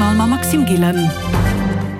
Journal mam Maxime Gillen.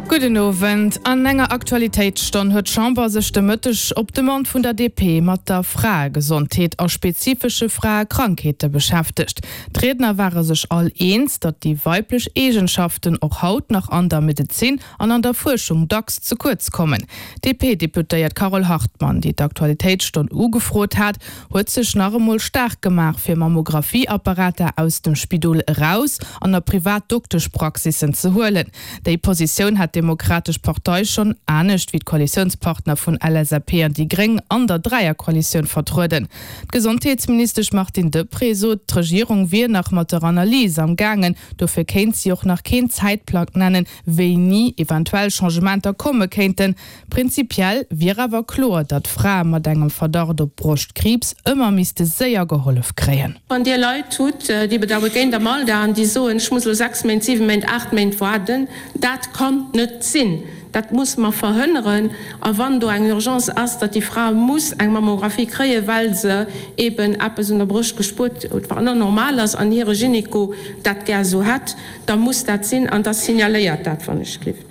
Gudden Owend. An enger Aktualitéitsstonn huet d'Chamber sech de Mëtteg op Demande vun der DP mat der Fraegesondheet a spezifesche Fraekrankheete beschäftegt. D'Riedner ware sech all eens, datt déi weiblech Eegenschaften och haut nach an der Medezin an an der Fuerschung dacks ze kuerz kommen. D'DP-Deputéiert Carole Hartmann, déi d'Aktualitéitsstonn ugefrot hat, huet sech nach emol staark gemaach fir Mammographie-Apparater aus dem Spidol eraus an a privat Dokteschpraxissen ze huelen. Déi Positioun hat d'Demokratesch Partei schonn, anescht wéi d'Koalitiounspartner vun LSAP an déi Gréng, an der Dräierkoalitioun vertrueden. D'Gesondheetsministesch Martine Deprez sot, d'Regierung wier nach mat der Analys am gaangen, dofir kéint si och nach keen Zäitplang nennen, wéini eventuell Changementer komme kéinten. Prinzipiell wier awer kloer, datt Frae mat engem Verdacht op Broschtkriibs ëmmer misste séier gehollef kréien. Wann Dir Leit hutt, déi bedaue géint am Alter an déi soen, ech muss elo 6 Méint, 7 Méint, 8 Méint waarden, dat kann net sinn. Dat muss mer verhënneren. A wann do eng Urgence ass, datt déi Fra muss eng Mammographie kréien, well se eeben eppes un der Broscht gespuert huet, wat net normal ass, an hire Gynéco dat gär esou hätt, da muss dat sinn an da signaléiert dat, wann ech gelift.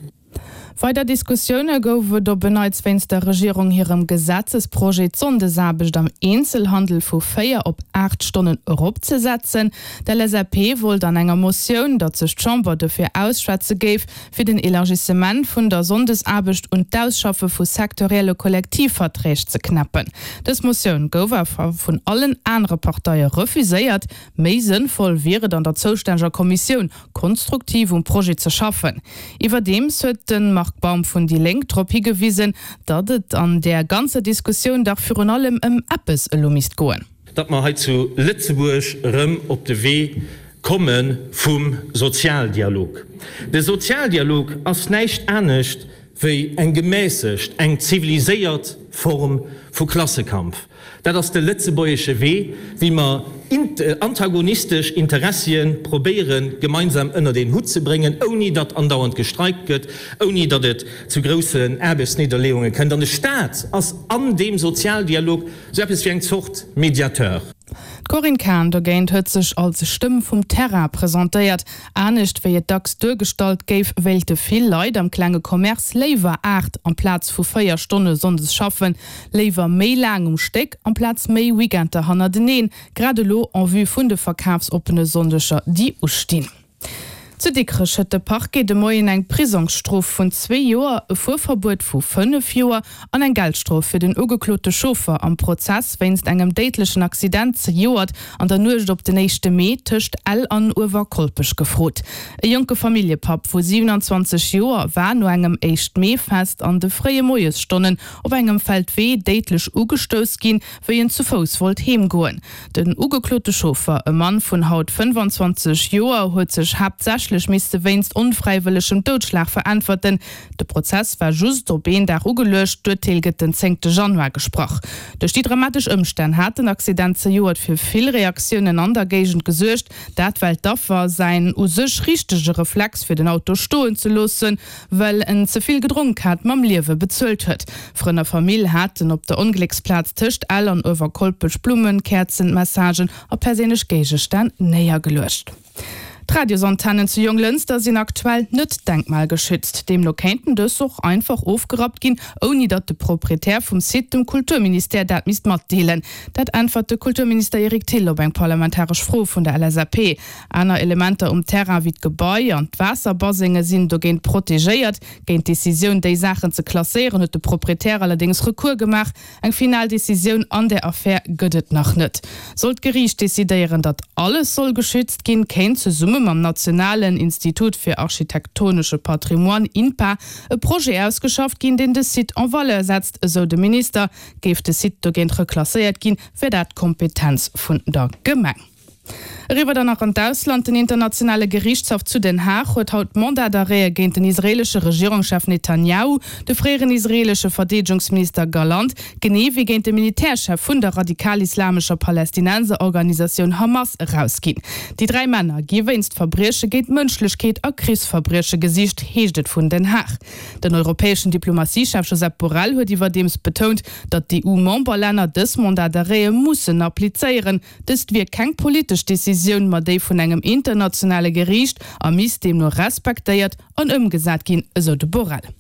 Weider Diskussioune gouf et op en Neits wéinst der Regierung hirem Gesetzesprojet, d'Sonndesaarbecht am Eenzelhandel vu 4 op 8 Stonnen eropzesetzen. D'LSAP wollt an enger Motioun, datt sech d'Chamber dofir ausschwätze géif, fir den Elargissement vun der Sonndesaarbecht un d'Ausschaffe vu sektorielle Kollektivverträg ze knäppen. Dës Motioun gouf awer vun allen anere Parteie refuséiert. Méi sënnvoll wier et an der zoustänneger Kommissioun konstruktiv um Projet ze schaffen. Iwwerdeems huet de Marc Baum vun déi Lénk drop higewisen, datt et an där ganzer Diskussioun dach virun allem ëm eppes elo misst goen. Datt mer hei zu Lëtzebuerg erëm op de Wee komme vum Sozialdialog. De Sozialdialog ass näischt anescht wéi eng gemässegt, eng ziviliséiert Form vu Klassekampf. Dat ass de lëtzebuergesche Wee, wéi mer antagonistesch Interessien probéieren, gemeinsam ënnert een Hutt ze bréngen, ouni datt andauernd gestreikt gëtt, ouni datt et zu groussen Aarbechtsnidderleeunge kënnt. An de Staat ass an deem Sozialdialog esou eppes wéi eng Zort Mediateur. D'Corinne Cahen dogéint huet sech als Stëmm vum Terrain presentéiert. Anescht wéi et dacks duergestallt géif, wéilte vill Leit am klenge Commerce léiwer 8 amplaz vu 4 Stonne sonndes schaffen, léiwer méi laang um Stéck amplaz méi Weekender hannerteneen, grad elo en vue vun de verkafsoppene Sonndeger déi ustinn. Zu Dikrech huet de Parquet de Moien eng Prisongsstrof vun zwee Joer, e Fuerverbuet vu 5 Joer an eng Geldstrof fir den ugeklote Chauffer am Prozess wéinst engem déidlechen Accident zejoert an der Nuecht op den éischte Mee tëscht Ell an Uewerkolpech gefrot. E jonke Familljepapp vu 27 Joer war no engem Éischt-Mee-Fest an de fréie Moiesstonnen op engem Feldwee déidlech ugestouss ginn, wéi en zu Fouss wollt heem goen. Den ugeklote Chauffer, e Mann vun haut 25 Joer, huet sech haaptsächlech misste wéinst onfräiwëllegem Doudschlag veräntwerten. De Prozess war just op een Dag ugeluecht, d'Urteel gëtt den zéngte Januar gesprach. Duerch déi dramatesch Ëmstänn hat den Accident zejoert fir vill Reaktiounen an der Géigend gesuergt. Dat well d'Affer säin u sech richtege Reflex fir den Auto stoen ze loossen, well en ze vill gedronk hat, mam Liewe bezuelt huet. Frënn a Famill haten op der Onglécksplaz tëscht Ell an Uewerkolpech Blummen, Käerzen, Messagen a perséinlech Géigestänn néiergeluecht. D'Radiosantennen zu Jonglënster sinn aktuell net denkmalgeschützt. Deemno kéinten dës och einfach ofgerappt ginn, ouni datt de Proprietär vum Site dem Kulturministère dat misst matdeelen. Dat äntwert de Kulturminister Eric Thill op eng parlamentaresch Fro vun der LSAP. Aner Elementer um Terrain wéi d'Gebai an d'Waasserbasenge sinn dogéint protegéiert. Géint d'Decisioun, déi Saachen ze klasséieren, huet de Proprietär allerdéngs Recours gemaach. Eng final Decisioun an där Affär gëtt et nach net. Sollt d'Geriicht decidéieren, datt alles soll geschützt ginn, kéint zesumme mam nationalen Institut fir architektonesche Patrimoine, INPA, e Projet ausgeschafft ginn, deen de Site en valeur setzt, esou de Minister. Géif de Site dogéint reklasséiert ginn, wär dat d'Kompetenz vun der Gemeng. Eriwwer dann nach an d'Ausland, Den internationale Geriichtshaff zu Den Haag huet haut Mandat d'arrête géint den israeelesche Regierungschef Netanjahu, de fréieren israeelesche Verdeedegungsminister Galant, genee wéi géint de Militärchef vun der radikal-islamescher Palästinenserorganisatioun Hamas erausginn. Déi 3 Männer gi wéinst Verbrieche géint d'Mënschlechkeet a Krichsverbrieche gesicht, heescht et vun Den Haag. Den europäeschen Diplomatiechef Josep Borrell huet iwwerdeems betount, datt d'EU-Memberlänner dës Mandat d'arrête mussen applizéieren. Dëst wier keng politesch Decisioun. Decisioun, ma déi vun engem internationale Geriicht a misst deemno respektéiert an ëmgesat ginn, esou de Borrell.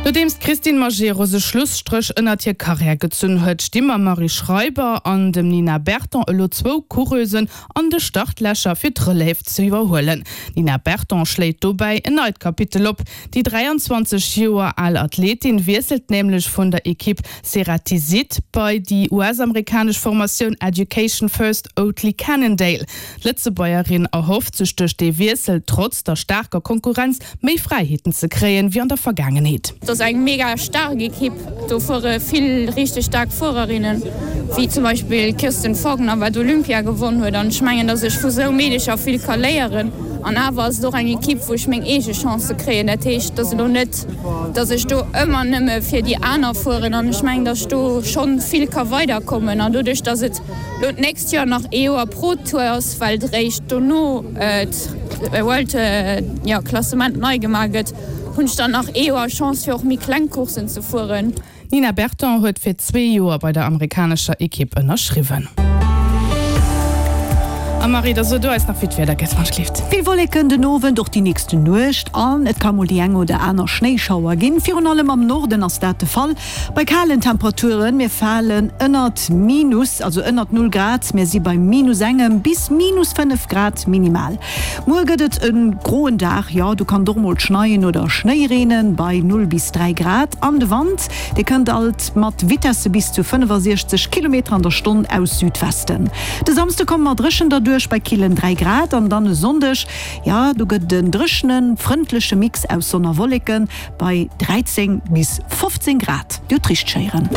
Nodeems d'Christine Majerus e Schlusstréch ënnert hir Karriär gezunn huet, sti mam Marie Schreiber an dem Nina Berton elo zwou Coureusen an de Startlächer fir d'Relève ze iwwerhuelen. D'Nina Berton schléit dobäi en neit Kapitel op. Déi 23 Joer al Athletin wiesselt nämlech vun der Ekipp Ceratizit bei déi US-amerikanesch Formatioun Education First Oatly Cannondale. D'Lëtzebuergerin erhofft sech duerch dee Wiessel, trotz der staarker Konkurrenz, méi Fräiheeten ze kréien, wéi an der Vergaangenheet. Et ass eng mega staark Ekipp, do fuere vill richteg staark Fuererinnen, wéi zum Beispill d'Kirsten Fagner, wat Olympia gewonn huet. An ech mengen, datt ech vu sou Meedecher vill ka léieren. An awer ass et och eng Ekipp, wou ech meng eege Chancë kréien. Dat heescht, et ass elo net, datt ech do ëmmer nëmme fir déi aner fueren. An ech mengen, datt ech do schonn vill ka weiderkommen. An doduerch, datt et Lo d'nächst Joer nach ee Joer Pro Tour ass, well et eréischt dono d'World, jo, Klassement nei gemaach gëtt, hunn ech dann nach ee Joer Chance fir och méi kleng Courssen ze fueren. D'Nina Berton huet fir zwee Joer bei der amerikanescher Ekipp ënnerschriwwen. A Marie, da so du eis nach wéi d'Wieder gëtt, wann d'Gleeft. Vill Wolleken den Owend, och déi nächst Nuecht an et ka mol déi eng oder aner Schnéischauer ginn. Virun allem am Norden ass dat de Fall. Bei kalen Temperaturen, mir falen ënnert Minus, also ënnert Null Grad, mir si bei minus engem bis minus 5 Grad minimal. Muer gëtt et e groen Dag, jo do kann et och mol schneien oder Schnéi reenen, bei 0 bis 3 Grad. An de Wand, dee kënnt alt mat Vitesse bis zu 65 Kilometer an der Stonn aus Südwesten. De Samsde komme mer dréchen derduerch bei killen 3 Grad an dann e Sonndeg, jo do gëtt et en dréchenen, frëndleche Mix aus Sonn a Wolleken. Bei 13 bis 15 Grad, Dir hutt richteg héieren.